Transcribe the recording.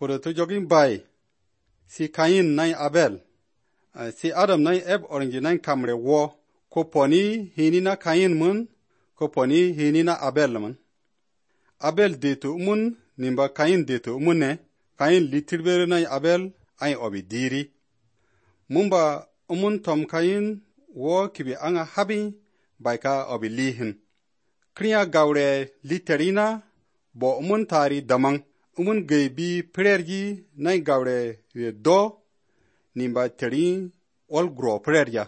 Puro to jogin bai. Si Kain nai Abel. Si Adam nai eb orangi nai kamre wo. Ko poni hini na Kain mun. Ko poni hini na Abel mun. Abel detu mun nimba Kain detu mun ne. Kain litirbere nai Abel ay obi diri. Mumba umun tom Kain wo kibi anga habi baika obi lihin. Kriya gaure literina bo umun tari damang. Umun gaybi prergi nai gaure do nimba teri ol gro prerja.